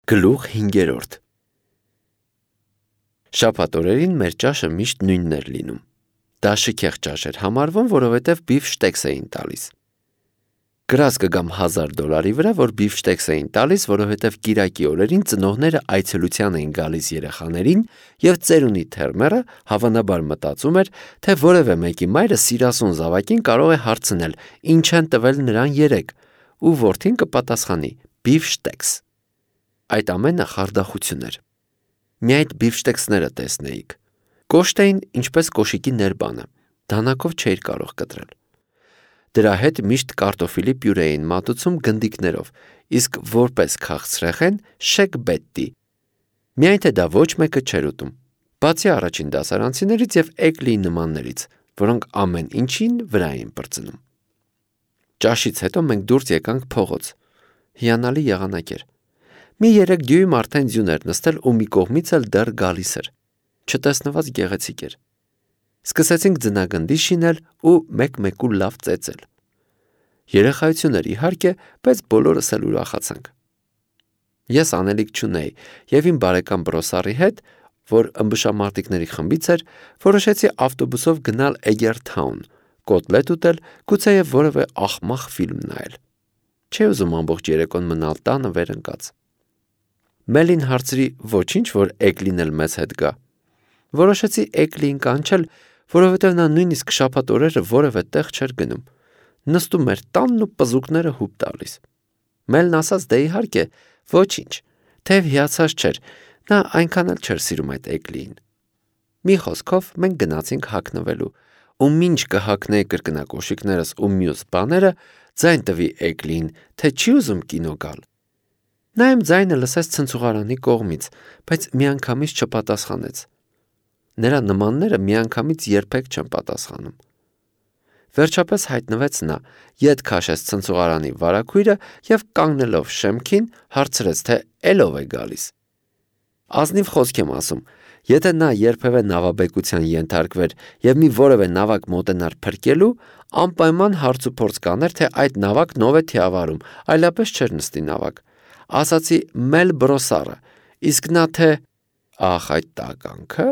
Գլուխ 5. Շաբաթ օրերին մեր ճաշը միշտ նույնն էր լինում։ Դա շքեղ ճաշ էր համարվում, որովհետև բիֆշտեքս էին տալիս։ Գրած կգամ $1000 վրա, որ բիֆշտեքս էին տալիս, որովհետև կիրակի օրերին ծնողները այցելության էին գալիս երեխաներին, և ծերունի թերմերը հավանաբար մտածում էր, թե որևէ մեկի մայրը սիրասուն զավակին կարող է հարցնել, ինչ են տվել նրան երեկ, ու որդին կպատասխանի բիֆշտեքս։ Այդ ամենը խարդախություն էր։ Մի այդ բիֆշտեքսները տեսնեիք։ Կոշտ էին ինչպես կոշիկի ներբանը, դանակով չէիր կարող կտրել։ Դրա հետ միշտ կարտոֆիլի պյուրե էին մատուցում գնդիկներով, իսկ որպես քաղցրեղեն շեքբետտի։ Միայն թե դա ոչ մեկը չէր ուտում, բացի առաջին դասարանցիներից և Էգլիի նմաններից, որոնք ամեն ինչին վրա էին պրծնում։ Ճաշից հետո մենք դուրս եկանք փողոց։ Հիանալի եղանակ էր։ Մի 3 դյույմ արդեն ձյուն էր նստել ու մի կողմից էլ դեռ գալիս էր։ Չտեսնված գեղեցիկ էր։ Սկսեցինք ձնագնդի շինել ու մեկ-մեկու լավ ծեծել։ Երեխայություն էր իհարկե, բայց բոլորս էլ ուրախացանք։ Ես անելիք չունեի և իմ բարեկամ Բրոսարի հետ, որ ըմբշամարտիկների խմբից էր, որոշեցի ավտոբուսով գնալ Էգերթաուն, կոտլետ ուտել, գուցեև որևէ աղմաղ ֆիլմ նայել։ Չէի ուզում ամբողջ երեկոն մնալ տանը վերընկած։ Մելին հարցրի ոչինչ, որ Էգլին էլ մեզ հետ գա։ Որոշեցի Էգլիին կանչել, որովհետև նա նույնիսկ շաբաթ օրերը որևէ տեղ չէր գնում։ Նստում էր տանն ու պզուկները հուպ տալիս։ Մելն ասաց, դե իհարկե, ոչինչ, թեև հիացած չէր, նա այնքան էլ չէր սիրում այդ Էգլիին։ Մի խոսքով մենք գնացինք հագնվելու, ու մինչ կհագնեի կրկնակոշիկներս ու մյուս բաները, ձայն տվի Էգլիին, թե չի ուզում կինո գալ։ Նա իմ ձայնը լսեց ցնցուղարանի կողմից, բայց միանգամից չպատասխանեց։ Նրա նմանները միանգամից երբեք չեն պատասխանում։ Վերջապես հայտնվեց նա, ետ քաշեց ցնցուղարանի վարագույրը և կանգնելով շեմքին հարցրեց, թե էլով է գալիս։ Ազնիվ խոսք եմ ասում, եթե նա երբևէ նավաբեկության ենթարկվեր և մի որևէ նավակ մոտենար փրկելու, անպայման հարց ու փորձ կաներ, թե այդ նավակն ով է թիավարում, այլապես չէր նստի նավակ։ Ասացի Մել Բրոսարը, իսկ նա թե ախ այդ տականքը,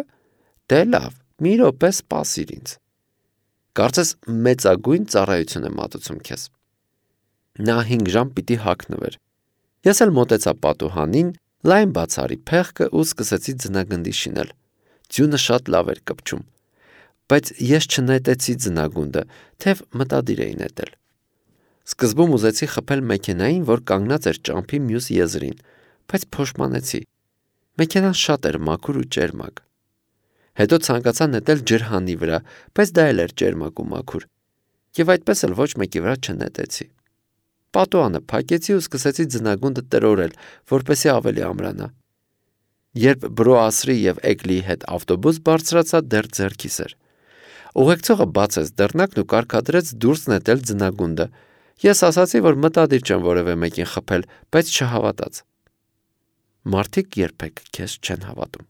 դե լավ, մի րոպե սպասիր ինձ։ Կարծես մեծագույն ծառայություն է մատուցում քեզ։ Նա 5 ժամ պիտի հագնվեր։ Ես էլ մոտեցա պատուհանին, լայն բացարի փեղկը ու սկսեցի ձնագնդի շինել։ Ձյունը շատ լավ էր կպչում, բայց ես չնետեցի ձնագունդը, թեև մտադիր էի նետել։ Սկզբում ուզեցի խփել մեքենային, որ կանգնած էր ճամփի մյուս եզրին, բայց փոշմանեցի։ Մեքենան շատ էր մաքուր ու ճերմակ։ Հետո ցանկացա նետել ջրհանի վրա, բայց դա էլ էր ճերմակ ու մաքուր, և այդպես էլ ոչ մեկի վրա չնետեցի։ Պատուհանը փակեցի ու սկսեցի ձնագունդը տրորել, որպեսզի ավելի ամրանա։ Երբ Բրոասրի և Էգլիի հետ ավտոբուս բարձրացա, դեռ ձեռքիս էր։ Ուղեկցողը բացեց դռնակն ու կարգադրեց դուրս նետել ձնագունդը։ Ես ասացի, որ մտադիր չեմ որևէ մեկին խփել, բայց չհավատաց։ Մարդիկ երբեք քեզ չեն հավատում։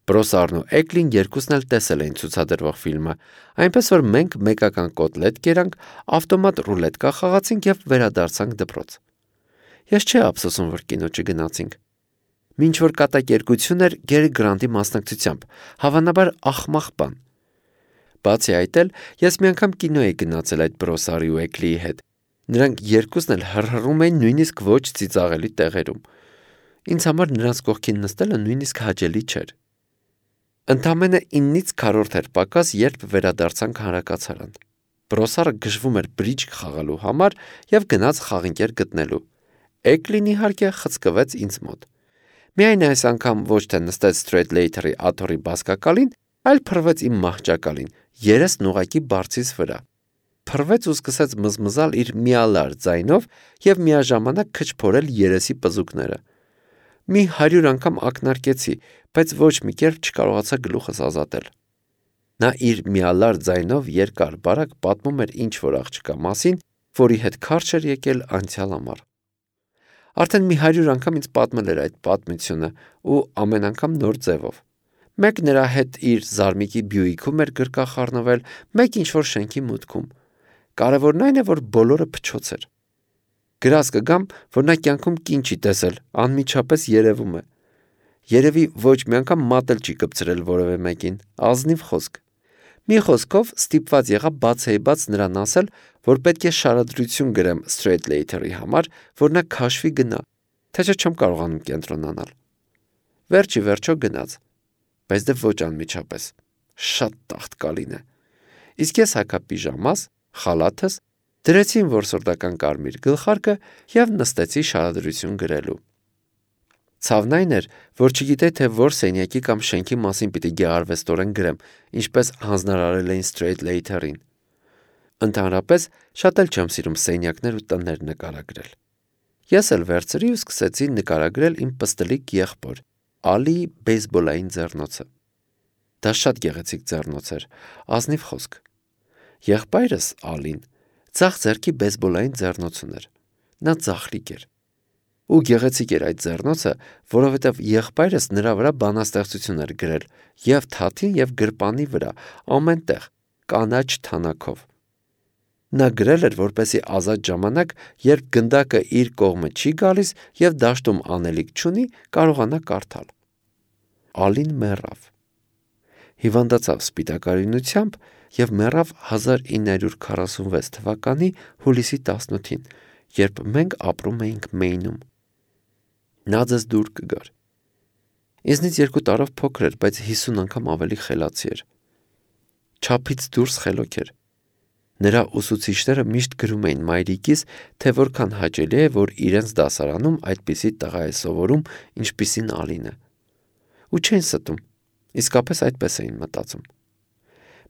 Բրոսարն ու Էգլին երկուսն էլ տեսել էին ցուցադրվող ֆիլմը, այնպես որ մենք մեկական կոտլետ կերանք, ավտոմատ ռուլետկա խաղացինք և վերադարձանք դպրոց։ Ես չէի ափսոսում, որ կինո չգնացինք։ Մինչ որ կատակերգություն էր Գերի Գրանտի մասնակցությամբ, հավանաբար աղմաղ բան։ Բացի այդ էլ, ես մի անգամ կինո էի գնացել այդ Բրոսարի ու Էգլիի հետ։ Նրանք երկուսն էլ հռհռում էին նույնիսկ ոչ ծիծաղելի տեղերում։ Ինձ համար նրանց կողքին նստելը նույնիսկ հաճելի չէր։ Ընդամենը 9-ից քառորդ էր պակաս, երբ վերադարձանք հանրակացարան։ Բրոսարը գժվում էր բրիջ խաղալու համար և գնաց խաղընկեր գտնելու։ Էգլին իհարկե խցկվեց ինձ մոտ։ Միայն այս անգամ ոչ թե նստեց Սթրեյթլեյթերի աթոռի բազկակալին, այլ փռվեց իմ մահճակալին, երեսն ուղղակի բարձիս վրա։ Փռվեց ու սկսեց մզմզալ իր միալար ձայնով և միաժամանակ քչփորել երեսի պզուկները։ Մի 100 անգամ ակնարկեցի, բայց ոչ մի կերպ չկարողացա գլուխս ազատել։ Նա իր միալար ձայնով երկար-բարակ պատմում էր ինչ-որ աղջկա մասին, որի հետ քարշ էր եկել անցյալ ամառ։ Արդեն մի 100 անգամ ինձ պատմել էր այդ պատմությունը ու ամեն անգամ նոր ձևով։ Մեկ նրա հետ իր զարմիկի Բյուիկում էր գրկախառնվել, մեկ ինչ-որ շենքի մուտքում։ Կարևորն այն է, որ բոլորը փչոց էր։ Գրած կգամ, որ նա կյանքում կին չի տեսել, անմիջապես երևում է։ Երևի ոչ մի անգամ մատել չի կպցրել որևէ մեկին, ազնիվ խոսք։ Մի խոսքով ստիպված եղա բացեիբաց նրան ասել, որ պետք է շարադրություն գրեմ Straight Later-ի համար, որ նա քաշվի գնա, թե չէ չեմ կարողանում կենտրոնանալ։ Վերջի վերջո գնաց, բայց դե ոչ անմիջապես, շատ տաղտկալին է։ Իսկ ես հագա պիժամաս, խալաթս, դրեցի իմ որսորդական կարմիր գլխարկը և նստեցի շարադրություն գրելու։ Ցավն այն էր, որ չգիտեի, թե որ սենյակի կամ շենքի մասին պիտի գեղարվեստորեն գրեմ, ինչպես հանձնարարել էին Straight Later-ին։ Ընդհանրապես, շատ էլ չեմ սիրում սենյակներ ու տներ նկարագրել։ Ես էլ վերցրի ու սկսեցի նկարագրել իմ պստլիկ եղբոր, Ալիի բեյսբոլային ձեռնոցը։ Դա շատ գեղեցիկ ձեռնոց էր, ազնիվ խոսք։ Եղբայրս Ալին ձախ ձեռքի բեյսբոլային ձեռնոց ուներ։ Նա ձախլիկ էր։ Ու գեղեցիկ էր այդ ձեռնոցը, որովհետև եղբայրս նրա վրա բանաստեղծություն էր գրել և թաթին և գրպանի վրա, ամենտեղ, կանաչ թանաքով։ Նա գրել էր, որպեսզի ազատ ժամանակ, երբ գնդակը իր կողմը չի գալիս և դաշտում անելիք չունի, կարողանա կարդալ։ Ալին մեռավ։ Հիվանդացավ սպիտակարյունությամբ և մեռավ 1946 թվականի հուլիսի 18-ին, երբ մենք ապրում էինք Մեյնում։ Նա ձեզ դուր կգար։ Ինձնից 2 տարով փոքր էր, բայց 50 անգամ ավելի խելացի էր։ Չափից դուրս խելոք էր։ Նրա ուսուցիչները միշտ գրում էին մայրիկիս, թե որքան հաճելի է, որ իրենց դասարանում այդպիսի տղա է սովորում, ինչպիսին Ալինը։ Ու չէին ստում, իսկապես այդպես էին մտածում։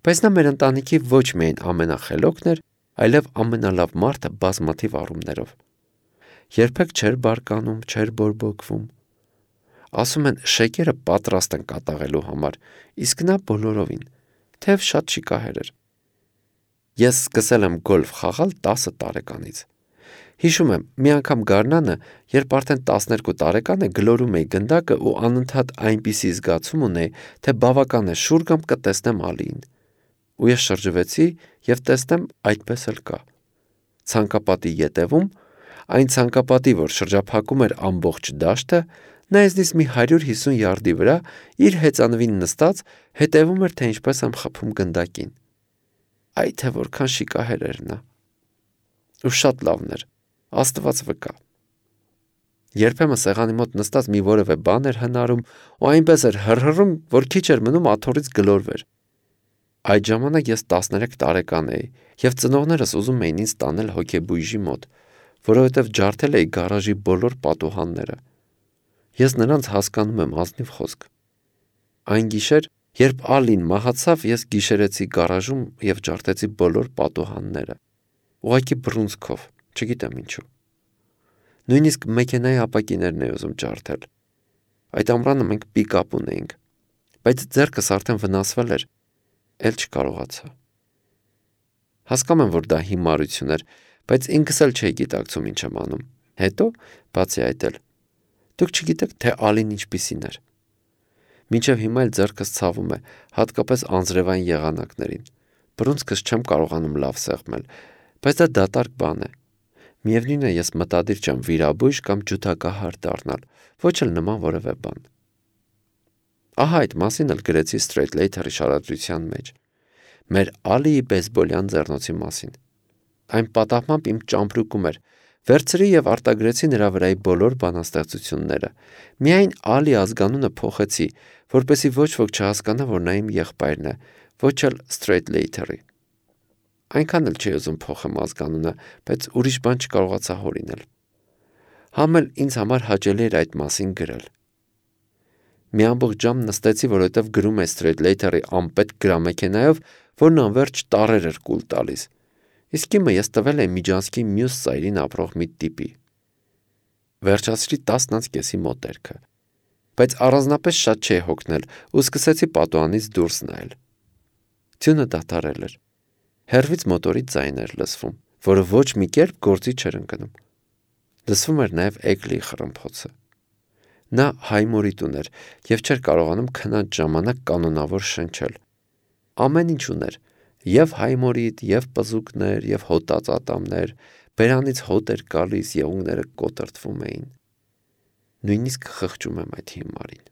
Բայց նա մեր ընտանիքի ոչ միայն ամենախելոքն էր, այլև ամենալավ մարդը բազմաթիվ առումներով։ Երբեք չէր բարկանում, չէր բորբոքվում։ Ասում են, շեկերը պատրաստ են կատաղելու համար, իսկ նա բոլորովին, թեև շատ շիկահեր էր։ Ես սկսել եմ գոլֆ խաղալ 10 տարեկանից։ Հիշում եմ, մի անգամ գարնանը, երբ արդեն 12 տարեկան է, գլորում էի գնդակը ու անընդհատ այնպիսի զգացում ունեի, թե բավական է շուռ գամ կտեսնեմ Ալիին։ Ու ես շրջվեցի և տեսնեմ այդպես էլ կա։ Ցանկապատի ետևում, այն ցանկապատի, որ շրջափակում էր ամբողջ դաշտը, նա ինձնից մի 150 յարդի վրա իր հեծանվին նստած հետևում էր, թե ինչպես եմ խփում գնդակին։ Այ թե որքան շիկահեր էր նա։ Ու շատ լավն էր, Աստված վկա։ Երբեմն սեղանի մոտ նստած մի որևէ բան էր հնարում ու այնպես էր հռհռում, որ քիչ էր մնում աթոռից գլորվեր։ Այդ ժամանակ ես 13 տարեկան էի և ծնողներս ուզում էին ինձ տանել հոգեբույժի մոտ, որովհետև ջարդել էի գարաժի բոլոր պատուհանները։ Ես նրանց հասկանում եմ, ազնիվ խոսք։ Այն գիշեր, երբ Ալին մահացավ, ես գիշերեցի գարաժում և ջարդեցի բոլոր պատուհանները։ Ուղղակի բռունցքով, չգիտեմ ինչու։ Նույնիսկ մեքենայի ապակիներն էի ուզում ջարդել։ Այդ ամռանը մենք պիկապ ունեինք, բայց ձեռքս արդեն վնասվել էր, էլ չկարողացա։ Հասկանում եմ, որ դա հիմարություն էր, բայց ինքս էլ չէի գիտակցում ինչ եմ անում։ Հետո, բացի այդ էլ, դուք չգիտեք, թե Ալին ինչպիսին էր։ Մինչև հիմա էլ ձեռքս ցավում է, հատկապես անձրևային եղանակներին։ Բռունցքս չեմ կարողանում լավ սեղմել, բայց դա դատարկ բան է։ Միևնույն է, ես մտադիր չեմ վիրաբույժ կամ ջութակահար դառնալ, ոչ էլ նման որևէ բան։ Ահա այդ մասին էլ գրեցի Straight Later-ի շարադրության մեջ։ Մեր Ալիի բեյսբոլյան ձեռնոցի մասին։ Այն պատահմամբ իմ ճամպրուկում էր, վերցրի և արտագրեցի նրա վրայի բոլոր բանաստեղծությունները։ Միայն Ալի ազգանունը փոխեցի, որպեսզի ոչ ոք չհասկանա, որ նա իմ եղբայրն է, ոչ էլ Straight Later-ի։ Այնքան էլ չի ուզում փոխեմ ազգանունը, բայց ուրիշ բան չկարողացա հորինել։ Համ էլ ինձ համար հաճելի էր այդ մասին գրել։ Մի ամբողջ ժամ նստեցի, որովհետև գրում է Straight Later-ի անպետք գրամեքենայով, որն անվերջ տառեր էր կուլ տալիս։ Իսկ իմը ես տվել էի Միջանցքի մյուս ծայրին ապրող մի տիպի։ Վերջացրի 10:30-ի մոտերքը։ Բայց առանձնապես շատ չէի հոգնել ու սկսեցի պատուհանից դուրս նայել։ Ձյունը դադարել էր։ Հեռվից մոտորի ձայն էր լսվում, որը ոչ մի կերպ գործի չէր ընկնում։ Լսվում էր նաև Էգլիի խռմփոցը։ Նա հայմորիտ ուներ և չէր կարողանում քնած ժամանակ կանոնավոր շնչել։ Ամեն ինչ ուներ, և հայմորիտ, և պզուկներ, և հոտած ատամներ, Բերանից հոտ էր գալիս, եղունգները կոտրտվում էին։ Նույնիսկ խղճում եմ այդ հիմարին։